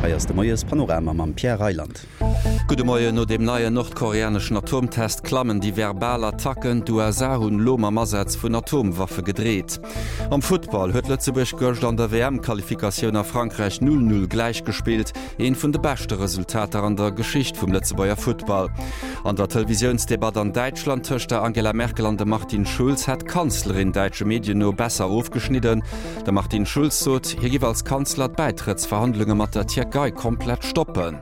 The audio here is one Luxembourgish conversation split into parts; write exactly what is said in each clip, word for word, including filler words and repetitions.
Hei ass de Moiespanorama mam Pierre Reyland. Gudde Moien, No deem neien nordkoreaneschen Atomtest klammen déi verbal Attacken. D'USA hunn elo mam Asaz vun Atomwaffe gedreet. Am Futtball huet Lëtzebuerg gëscht an der WM-Qualifikatioun a Frankräich null null gläichgespillt, eent vun de beschte Resultater an der Geschicht vum Lëtzebuerger Futtball. An der Televisiounsdebatt an Däitschland tëscht der Angela Merkel an dem Martin Schulz hätt d'Kanzlerin däitsche Medien no besser ofgeschnidden. De Martin Schulz sot, hie giff als Kanzler d'Bäitrëttsverhandlunge mat der Tierkei komplett stoppen.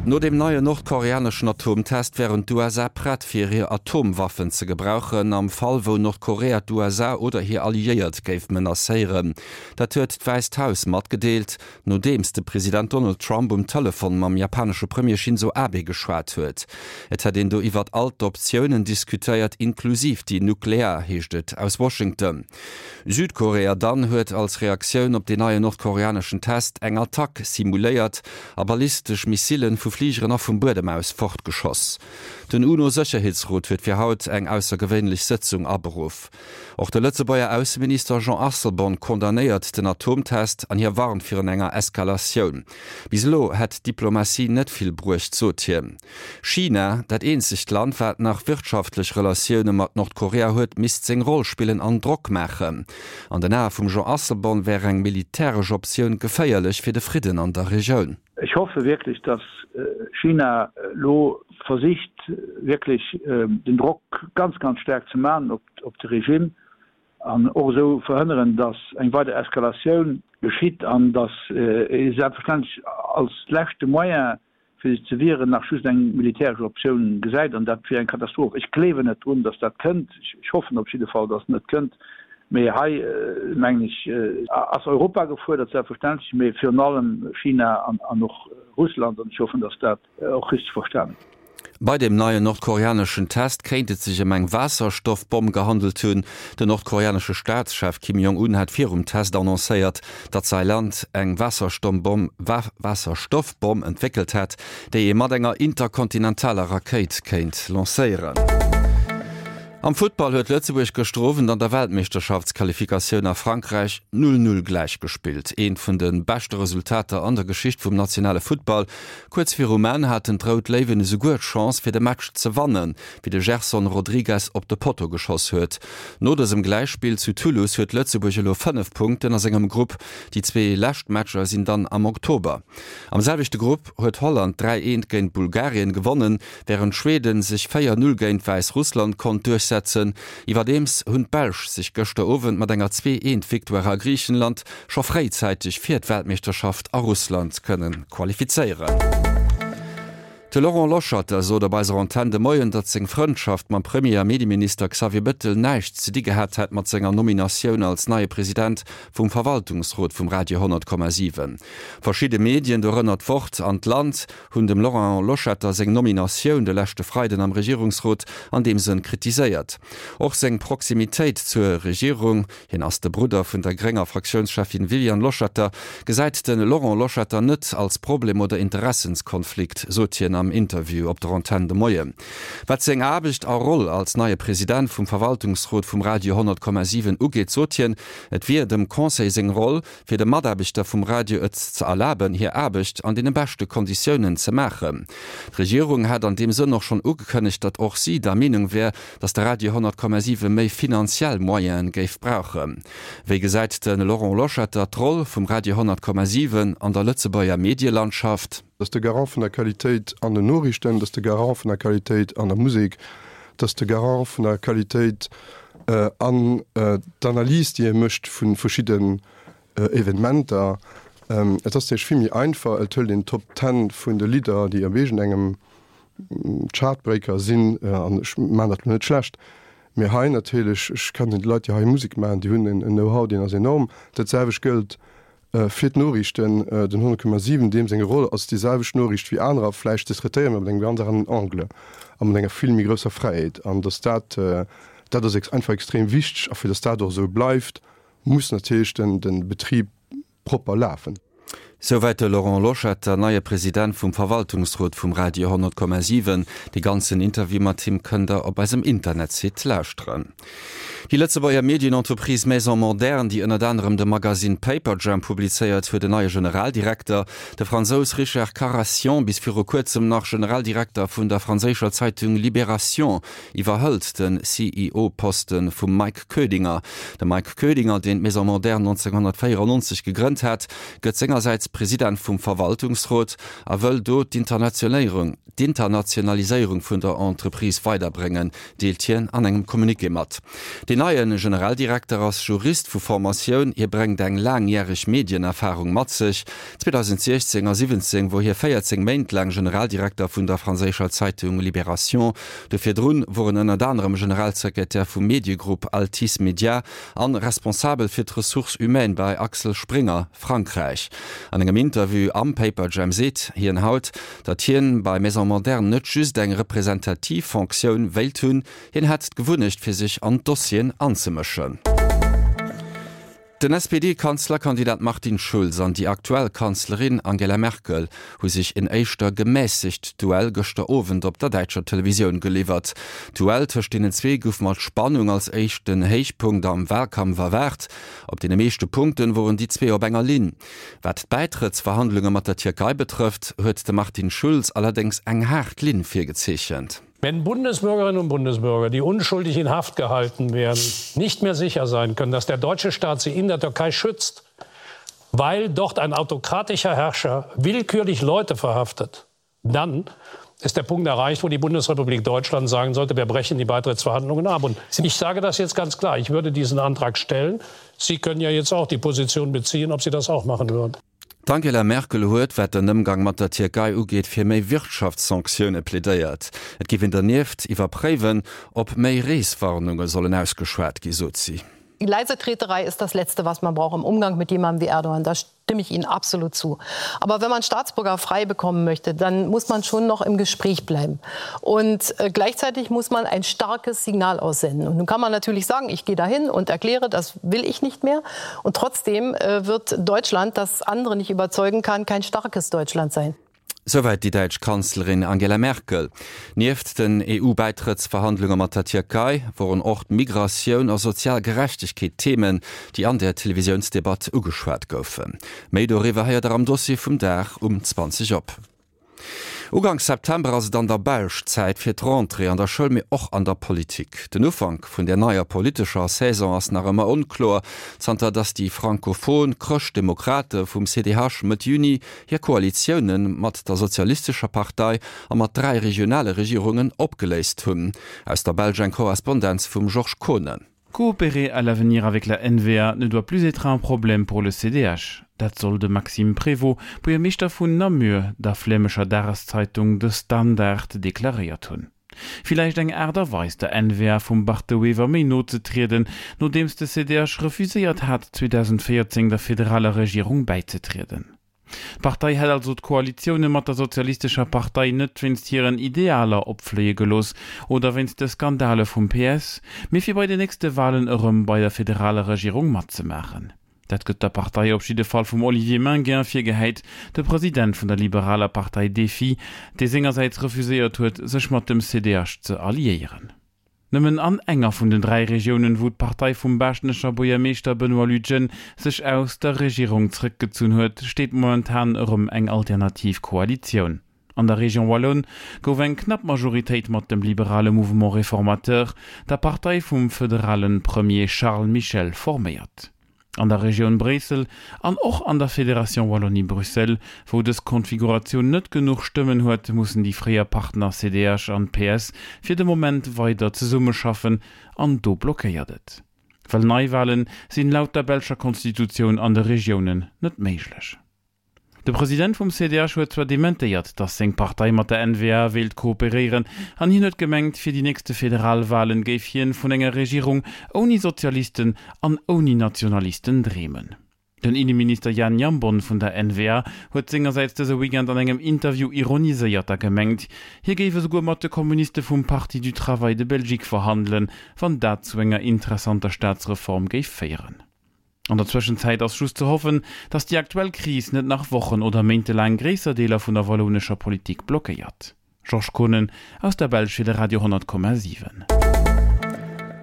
No deem neien nordkoreaneschen Atomtest wären d'USA prett fir hir Atomwaffen ze gebrauchen, am Fall wou Nordkorea d'USA oder hir Alliéiert géif menacéieren. Dat huet d'Wäisst Haus matgedeelt, nodeems de President Donald Trump um Telefon mam japanesche Premier Shinzo Abe geschwat huet. Et hätt een do iwwert all d'Optiounen diskutéiert, inklusiv déi nuklear, heescht et aus Washington. Südkorea dann huet als Reaktioun op deen neien nordkoreaneschen Test eng Attack simuléiert a ballistesch Missillen vu Fligeren a vum Buedem aus fortgeschoss. Den UNO-Sécherheetsrot huet fir haut eng aussergewéinlech Sëtzung aberuff. Och de Lëtzebuerger Ausseminister Jean Asselborn condamnéiert den Atomtest an hie warnt virun enger Eskalatioun. Bis elo hätt d'Diplomatie net vill bruecht, sot hien. China, dat eenzegt Land, wat nach wirtschaftlech Relatioune mat Nordkorea huet, misst seng Roll spillen an Drock maachen. An den Ae vum Jean Asselborn wär eng militäresch Optioun geféierlech fir de Fridden an der Regioun. Ech hoffe wierklech, datt China elo versicht wierklech den Drock ganz, ganz staark ze maachen op de Regime an och esou verhënneren, datt eng weider Eskalatioun geschitt an datt ee selbstverständlech als leschte Moyen, fir sech ze wieren, nach just eng militäresch Optioun gesäit, an dat wier eng Katastroph. Ech gleewen net drun, datt dat kënnt. Ech hoffen op jidde Fall, datt et net kënnt. Mee hei, mengen ech, ass Europa gefuerdert, selbstverständlech, mee virun allem China an och Russland. An ech hoffen, datt dat och richteg verstanen gëtt. Bei dem neien nordkoreaneschen Test kéint et sech ëm eng Waasserstoffbomm gehandelt hunn. Den nordkoreanesche Staatschef Kim Jong-un hat virum Test annoncéiert, datt säi Land eng Waasserstoffbomm entwéckelt hätt, déi ee mat enger interkontinentaler Rakéit kéint lancéieren. Am Futtball huet Lëtzebuerg gëschter Owend an der Weltmeeschterschaftsqualifikatioun a Frankräich null null gläichgespillt. Eent vun de beschte Resultater an der Geschicht vum nationale Futtball. Kuerz virum Enn haten d'Rout Léiwen esouguer d'Chance fir de Match ze wannen, wéi de Gerson Rodrigues op de Potto geschoss huet. No dësem Gläichspill zu Toulouse huet Lëtzebuerg elo fënnef Punkten a sengem Grupp. Déi zwee lescht Matcher sinn dann am Oktober. Am selwechte Grupp huet Holland dräi eent géint Bulgarien gewonnen, wärend Schweden sech véier null géint Wäissrussland konnt duerchsetzen. Iwwerdeems hunn d'Belsch sech gëschter Owend mat enger zwee eent Victoire a Griichenland scho fréizäiteg fir d'Weltmeeschterschaft a Russland kënne qualifizéieren. De Laurent Loschetter sot op eiser Antenn de Moien, datt seng Frëndschaft mam Premier a Medieminister Xavier Bettel näischt ze di gehat hätt mat senger Nominatioun als neie President vum Verwaltungsrot vum Radio honnert Komma siwen. Verschidde Medien, dorënner d'Wort an d'Land, hunn dem Laurent Loschetter seng Nominatioun de leschte Freiden am Regierungsrot an deem Sënn kritiséiert. Och seng Proximitéit zur Regierung, hien ass de Brudder vun der grénger Fraktiounscheffin Viviane Loschetter, gesäit de Laurent Loschetter net als Problem oder Interessenskonflikt, sot hien am Interview op der Antenn de Moien. Wat seng Aarbecht a Roll als neie President vum Verwaltungsrot vum Radio honnert Komma siwen ugeet, sot hien, et wier dem Conseil seng Roll, fir de Mataarbechter vum Radio et ze erlaben, hir Aarbecht an deene beschte Konditiounen ze maachen. D'Regierung hätt an deem Sënn och schonn ugekënnegt, datt och si der Meenung wär, datt de Radio honnert Komma siwe méi finanziell Moyene géif brauchen. Wéi gesäit de Laurent Loschetter d'Roll vum Radio honnert Komma siwen an der Lëtzebuerger Medielandschaft? Dat ass de Garant vun der Qualitéit an den Noriichten, dat ass de Garant vun der Qualitéit an der Musek, dat ass de Garant vun der Qualitéit an d'Analys, déi e mécht vu verschidden Evenementer. Et ass natierlech vill méi einfach, et hëlt een d'Top Ten vun de Lidder, déi op iergendengem Chartbreaker sinn, an ech maachen dat elo net schlecht, mee hei natierlech, ech kennen déi Leit, déi hei Musek maachen, déi hunn en Know-how, deen ass enorm. Dat selwecht gëllt fir d'Noriichten. Den honnert Komma siwen, deem seng Roll ass déi selwecht Noriicht wéi anerer vläicht ze traitéieren, mee mat engem ganz aneren Angle a mat enger vill méi grousser Fräiheet. An datt dat, dat ass einfach extrem wichteg. A fir datt dat och esou bleift, muss natierlech den Betrib propper lafen. Souwäit de Laurent Loschetter, neie President vum Verwaltungsrot vum Radio honnert Komma siwen. Dee ganzen Interview mat him kënnt der op eisem Internetsite lauschteren. Déi Lëtzebuerger Medienentreprise Maison Moderne, déi ënnert anerem de Magasinn Paperjam publizéiert, huet en neie Generaldirekter. De Fransous Richard Carayon, bis viru kuerzem nach Generaldirekter vun der franséischer Zeitung Libération, iwwerhëlt den C E O-Poste vum Mike Koedinger. De Mike Koedinger, deen d'Maison Moderne nonzénghonnertvéierennonzeg gegrënnt hat, gëtt sengersäits President vum Verwaltungsrot a wëll do d'Internationaliséierung vun der Entreprise weiderbréngen, deelt hien an engem Communiqué mat. Deen neie Generaldirekter ass Jurist vu Formatioun, hie bréngt eng laangjäreg Medienerfarung mat sech. zweedausentsiechzéng a siwwenzéng wor hie véierzéng Méint laang Generaldirekter vun der franséischer Zeitung Libération. Do virdrun wor en ënnert anerem Generalsekretär vum Mediegrupp Altice Media an responsabel fir d'Ressources humaines bei Axel Springer Frankräich. An engem Interview am Paperjam seet hien haut, datt hien bei Maison Moderne net just eng representativ Fonctioun wéilt hunn, hien hätt d'Gewunnecht fir sech an d'Dossieren anzemëschen. Den S P D-Kanzlerkandidat Martin Schulz an déi aktuell Kanzlerin Angela Merkel hu sech en éischter gemässegt Duell gëschter Owend op der däitscher Televisioun geliwwert. D'Duell tëscht deenen zwee gouf mat Spannung als éischten Héichpunkt am Wahlkampf erwaart. Op deene meeschte Punkten woren déi zwee op enger Linn. Wat d'Bäitrëttsverhandlunge mat der Tierkei betrëfft, huet de Martin Schulz allerdéngs eng haart Linn virgezeechent. Wenn Bundesbürgerinnen und Bundesbürger, die unschuldig in Haft gehalten werden, nicht mehr sicher sein können, dass der deutsche Staat sie in der Türkei schützt, weil dort ein autokratischer Herrscher willkürlich Leute verhaftet, dann ist der Punkt erreicht, wo die Bundesrepublik Deutschland sagen sollte, wir brechen die Beitrittsverhandlungen ab. Und ich sage das jetzt ganz klar, ich würde diesen Antrag stellen. Sie können ja jetzt auch die Position beziehen, ob Sie das auch machen würden. D'Angela Merkel huet, wat den Ëmgang mat der Tierkei ugeet, fir méi Wirtschaftssanktioune plädéiert. Et géif een dernieft iwwerpréiwen, ob méi Reeswarnunge sollen ausgeschwat gi, sot si. Die Leisetreterei ist das Letzte, was man braucht im Umgang mit jemandem wie Erdogan. Da stimme ich Ihnen absolut zu. Aber wenn man Staatsbürger frei bekommen möchte, dann muss man schon noch im Gespräch bleiben. Und, äh, gleichzeitig muss man ein starkes Signal aussenden. Und nun kann man natürlich sagen, ich gehe dahin und erkläre, das will ich nicht mehr. Und trotzdem, äh, wird Deutschland, das andere nicht überzeugen kann, kein starkes Deutschland sein. Souwäit déi däitsch Kanzlerin Angela Merkel. Nieft den E U-Bäitrëttsverhandlunge mat der Tierkei woren och d'Migratioun a sozial Gerechtegkeet Themen, déi an der Televisiounsdebatt ugeschwat goufen. Méi doriwwer héiert der am Dossier vum Dag um zwanzeg op. Uganks September ass et an der Belsch Zäit fir d'Rentrée an der Schoul, mee och an der Politik. Den Ufank vun der neier politescher Saison ass nach ëmmer onkloer, zanter datt déi frankophon Chrëschtdemokrate vum C D H Mëtt Juni hir Koalitioune mat der Sozialistescher Partei a mat dräi regionale Regierungen opgeléist hunn. Aus der Belsch eng Korrespondenz vum Georges Kohnen. Coopérer à l'avenir avec la N V A ne doit plus être un problème pour le C D H. Dat soll de Maxime Prévot, Buergermeeschter vun Namur, der flämischer Dageszeitung De Standaard deklaréiert hunn. Vielleicht eng Aart a Weis der N V A vum Bart de Wever méi no ze trieden, nodeems de C D H refuséiert hat, zweedausendvéierzéng der federaler Regierung bäizetrieden. D'Partei hätt also d'Koalitioune mat der sozialistescher Partei net wéinst hiren Idealer opfléie gelooss oder wéinst de Skandale vum P S, mee fir bei den nächste Wahlen erëm bei der federaler Regierung matzemaachen. Dat gëtt der Partei op jidde Fall vum Olivier Maingain virgehäit, de President vun der liberaler Partei DEFI, dee sengersäits refuséiert huet, sech mat dem C D H ze alliéieren. Nëmmen an enger vun den dräi Regiounen, wou d'Partei vum baaschtnecher Buergermeeschter Benoît Lütgen sech aus der Regierung zréckgezunn huet, steet momentan erëm eng alternativ Koalitioun. An der Region Wallonne gouf eng knapp Majoritéit mat dem liberale Mouvement Réformateur, der Partei vum föderalen Premier Charles Michel forméiert. An der Region Bréissel an och an der Fédération Wallonie-Bruxelles, wou dës Konfiguratioun net genuch Stëmmen huet, mussen déi fréier Partner C D H an P S fir de Moment weider zesummeschaffen an do blockéiert et. Well Neiwahlen sinn laut der belscher Konstitutioun an de Regiounen net méiglech. De President vum C D H huet zwar dementéiert, datt seng Partei mat der N V A wéilt kooperéieren, an hien huet gemengt, fir déi nächste Federalwahlen géif hien vun enger Regierung ouni Sozialisten an ouni Nationalisten dreemen. Den Innenminister Jan Jambon vun der N V A huet sengersäits dëse Weekend an engem Interview ironiséiert a gemengt, hie géif esouguer mat de Kommuniste vum Parti du Travail de Belgique verhandelen, wann dat zu enger interessanter Staatsreform géif féieren. An der Zwëschenzäit ass just ze hoffen, datt déi aktuell Kris net nach Wochen oder méintelaang gréisser Deeler vun der wallounescher Politik blockéiert. Georges Kohnen aus der Belsch fir de Radio honnert Komma siwen.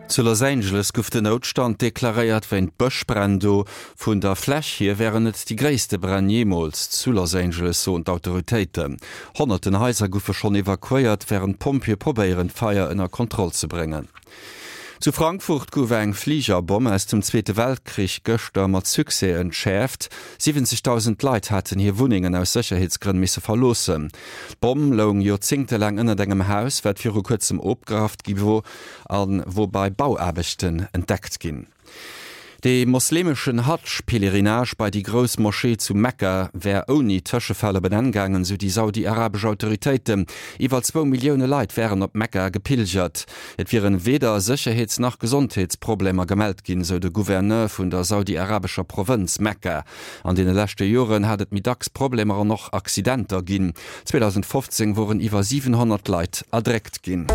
Zu Los Angeles gouf den Noutstand deklaréiert wéint Bëschbränn do. Vun der Fläch hier wären et déi gréisste Bränn jeemools zu Los Angeles, soen d'Autoritéiten. Honnerten Haiser goufe schonn evakuéiert, wärend d'Pompjeeë probéieren, d'Feier ënner Kontroll ze bréngen. Zu Frankfurt gouf eng Fligerbomm aus dem Zweete Weltkrich gëschter mat Succès entschäerft. siwwenzegdausend Leit haten hir Wunnengen aus Sécherheetsgrënn misse verloossen. D'Bomm loung joerzéngtelaang ënnert engem Haus, wat viru kuerzem opgerafft gi wor a wor bei Bauaarbechten entdeckt ginn. De moslemeschen Hadsch-Pèlerinage bei déi grouss Moschee zu Mekka wär ouni Tëschefäll op en Enn gaangen, sou déi saudi-arabesch Autoritéiten. Iwwer zwou Millioune Leit wären op Mekka gepilgert. Et wieren weder Sécherheets nach Gesondheetsproblemer gemellt ginn, sou de Gouverneur vun der saudi-arabescher Provënz Mekka. An deene leschte Joren hat et méi dacks Problemer an och Accidenter ginn. zweedausendfofzéng woren iwwer siwenhonnert Leit erdréckt ginn.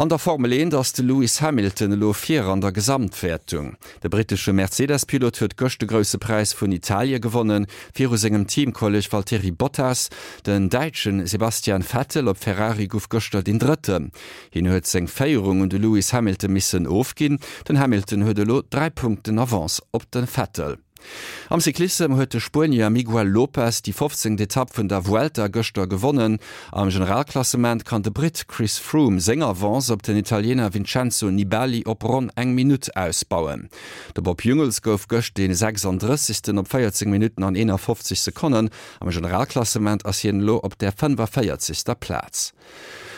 An der Formel eent ass de Lewis Hamilton elo vir an der Gesamtwäertung. De brittesche Mercedes-Pilot huet gëscht de Grousse Präis vun Italie gewonnen, viru sengem Teamkolleg Valtteri Bottas. Den Däitsche Sebastian Vettel op Ferrari gouf gëschter deen Drëtten. Hien huet seng Féierung un de Lewis Hamilton missen ofginn. Den Hamilton huet elo dräi Punkten Avance op de Vettel. Am Cyclissem huet de Spuenier Miguel Lopez déi fofzéngt Etapp vun der Vuelta gëschter gewonnen. Am Generalklassement kann de Britt Chris Froome seng Avance op den Italiener Vincenzo Nibali op ronn eng Minutt ausbauen. De Bob Jungels gouf gëscht dee sechsanddrëssegsten op véierzéng Minutten an eenafofzeg Sekonnen. Am Generalklassement ass hien elo op der fënnefavéierzegster Plaz.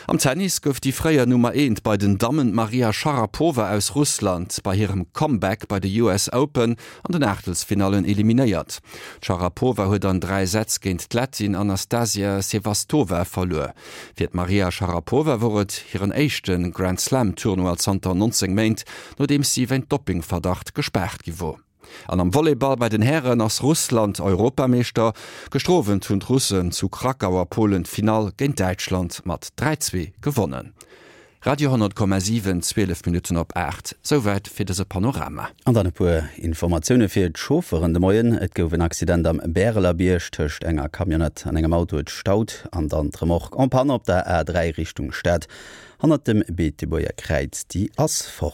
Am Tennis gouf déi fréier Nummer eent bei den Dammen, d'Maria Sharapova aus Russland, bei hirem Comeback bei de U S Open an den Aachtelsfinallen eliminéiert. D'Sharapova huet an dräi Sätz géint d'Lettin Anastasia Sevastova verluer. Fir d'Maria Sharapova wor et hiren éischte Grand-Slam-Tournoi zanter nonzéng Méint, nodeems si wéint Doppingverdacht gespaart gi wor. An am Volleyball bei den Hären ass Russland Europameeschter. Gëschter Owend hunn d'Russen zu Krakau a Polen d'Finall géint Däitschland mat dräi, zwee gewonnen. Radio honnert Komma siwen, zwielef Minutten op aacht. Souwäit fir dëse Panorama. An dann e puer Informatioune fir d'Chaufferen de Moien. Et gouf en Accident am Bäreler Bierg tëscht enger Camionnette an engem Auto. Et staut. An dann d'Remorque en panne op der A dräi Richtung Stad hannert dem Beetebuerger Kräiz, déi ass fort.